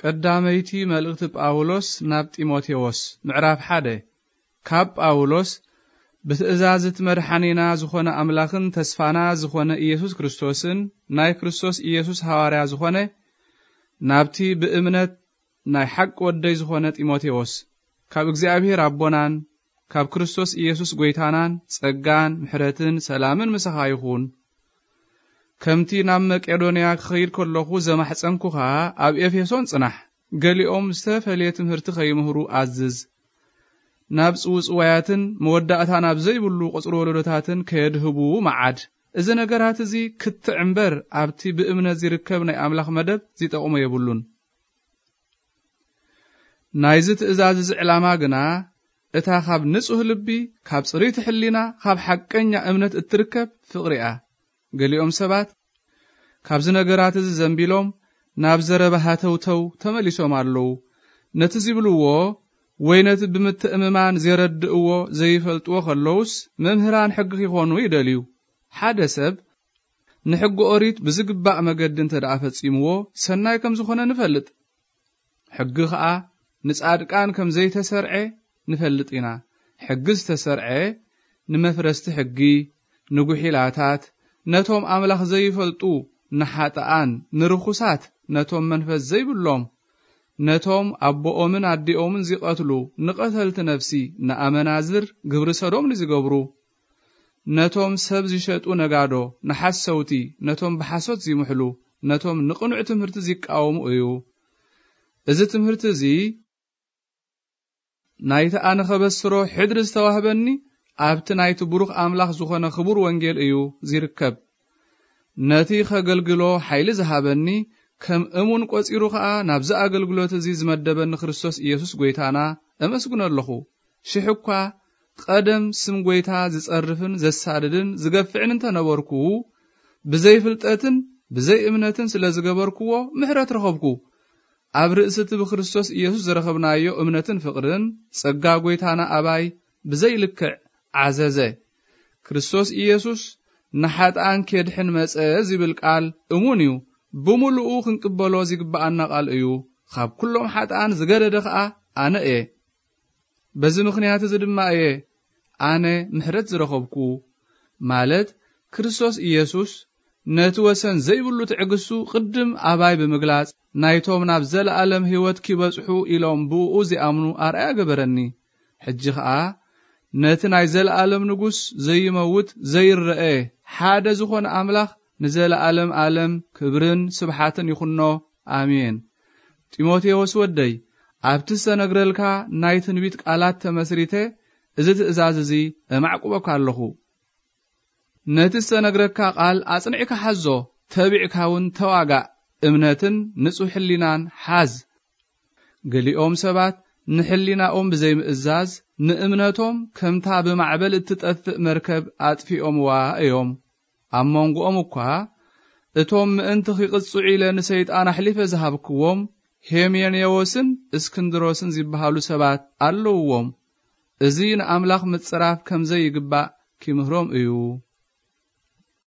ቀዳመይቲ መልእኽቲ ጳውሎስ ናብ ጢሞቴዎስ፣ ምዕራፍ ሓደ። ካብ ጳውሎስ፣ ብትእዛዝ እቲ መድሓኒና ዝኾነ ኣምላኽን ተስፋና ዝኾነ ኢየሱስ ክርስቶስን፣ ናይ ክርስቶስ ኢየሱስ ሃዋርያ ዝኾነ፣ ናብቲ ብእምነት ናይ ሓቂ ወደይ ዝኾነ ጢሞቴዎስ፣ ካብ እግዚኣብሔር ኣቦናን ካብ ክርስቶስ ኢየሱስ ጐይታናን ጸጋን ምሕረትን ሰላምን ምሳኻ ይኹን። ከምቲ ናብ መቄዶንያ ክኸይድ ከለኹ ዘማሕጸንኩኻ፣ ኣብ ኤፌሶን ጽናሕ። ገሊኦም ዝተፈልየ ትምህርቲ ከይምህሩ ኣዝዝ። ናብ ጽውጽዋያትን መወዳእታ ናብ ዘይብሉ ቁጽሪ ወለዶታትን ከየድህቡ መዓድ። እዚ ነገራት እዚ ክትዕ እምበር፣ ኣብቲ ብእምነት ዝርከብ ናይ ኣምላኽ መደብ ዚጠቕሞ የብሉን። ናይዚ ትእዛዝ እዚ ዕላማ ግና፣ እታ ካብ ንጹህ ልቢ፣ ካብ ጽርይቲ ሕሊና፣ ካብ ሓቀኛ እምነት እትርከብ ፍቕሪ እያ። ገሊኦም ሰባት ካብዚ ነገራት እዚ ዘንቢሎም ናብ ዘረባ ሃተውተው ተመሊሶም ኣለዉ። ነቲ ዚብልዎ ወይ ነቲ ብምትእምማን ዜረድእዎ ዘይፈልጥዎ ከለዉስ፣ መምህራን ሕጊ ኪኾኑ ይደልዩ። ሓደ ሰብ ንሕጊ ኦሪት ብዝግባእ መገዲ እንተ ደኣ ፈጺምዎ፣ ሰናይ ከም ዝኾነ ንፈልጥ። ሕጊ ኸኣ ንጻድቃን ከም ዘይተሰርዐ ንፈልጥ ኢና። ሕጊ ዝተሰርዐ ንመፍረስቲ ሕጊ፣ ንጉሒላታት፣ ነቶም ኣምላኽ ዘይፈልጡ፣ ንሓጥኣን፣ ንርኹሳት፣ ነቶም መንፈስ ዘይብሎም፣ ነቶም ኣቦኦምን ኣዲኦምን ዚቐትሉ፣ ንቐተልቲ ነፍሲ፣ ንኣመናዝር፣ ግብሪ ሰዶም ንዚገብሩ፣ ነቶም ሰብ ዚሸጡ ነጋዶ፣ ንሓሰውቲ፣ ነቶም ብሓሶት ዚምሕሉ፣ ነቶም ንቕኑዕ ትምህርቲ ዚቃወሙ እዩ። እዚ ትምህርቲ እዚ ናይቲ ኣነ ኸበስሮ ሕድሪ ዝተዋህበኒ ኣብቲ ናይቲ ብሩኽ ኣምላኽ ዝኾነ ኽቡር ወንጌል እዩ ዚርከብ። ነቲ ኸገልግሎ ሓይሊ ዝሃበኒ፣ ከም እሙን ቈጺሩ ኸኣ ናብዚ ኣገልግሎት እዚ ዝመደበኒ ክርስቶስ ኢየሱስ ጐይታና እመስግኖ ኣለኹ። ሽሕ እኳ ቀደም ስም ጐይታ ዝጸርፍን ዘሳድድን ዝገፍዕን እንተ ነበርኩ፣ ብዘይ ፍልጠትን ብዘይ እምነትን ስለ ዝገበርክዎ ምሕረት ረኸብኩ። ኣብ ርእሲ እቲ ብክርስቶስ ኢየሱስ ዝረኸብናዮ እምነትን ፍቕርን ጸጋ ጐይታና ኣባይ ብዘይ ልክዕ ዓዘዘ። ክርስቶስ ኢየሱስ ንሓጥኣን ኬድሕን መጸ ዚብል ቃል እሙን እዩ። ብምሉኡ ክንቅበሎ ዚግብኣና ቃል እዩ። ካብ ኩሎም ሓጥኣን ዝገደደ ኸኣ ኣነ እየ። በዚ ምኽንያት እዚ ድማ እየ ኣነ ምሕረት ዝረኸብኩ። ማለት ክርስቶስ ኢየሱስ ነቲ ወሰን ዘይብሉ ትዕግስቱ ቅድም ኣባይ ብምግላጽ፣ ናይቶም ናብ ዘለኣለም ህይወት ኪበጽሑ ኢሎም ብእኡ ዚኣምኑ ኣርኣያ ገበረኒ። ሕጂ ኸኣ ነቲ ናይ ዘለኣለም ንጉስ ዘይመውት ዘይረአ ሓደ ዝኾነ ኣምላኽ ንዘለኣለም ኣለም ክብርን ስብሓትን ይኹኖ። ኣሜን። ጢሞቴዎስ ወደይ፣ ኣብቲ ዝተነግረልካ ናይ ትንቢት ቃላት ተመስሪተ እዚ ትእዛዝ እዚ እማዕቁበካ ኣለኹ። ነቲ ዝተነግረካ ቃል ኣጽኒዕካ ሓዞ፣ ተቢዕካ እውን ተዋጋእ። እምነትን ንጹሕ ሕሊናን ሓዝ። ገሊኦም ሰባት ንሕሊናኦም ብዘይምእዛዝ፣ ንእምነቶም ከምታ ብማዕበል እትጠፍእ መርከብ ኣጥፊኦምዋ እዮም። ኣብ መንጎኦም እኳ፣ እቶም ምእንቲ ኺቕጽዑ ኢለ ንሰይጣን ኣሕሊፈ ዝሃብክዎም፣ ሄሜኔዎስን እስክንድሮስን ዚበሃሉ ሰባት ኣለውዎም። እዚ ንኣምላኽ ምጽራፍ ከም ዘይግባእ ኪምህሮም እዩ።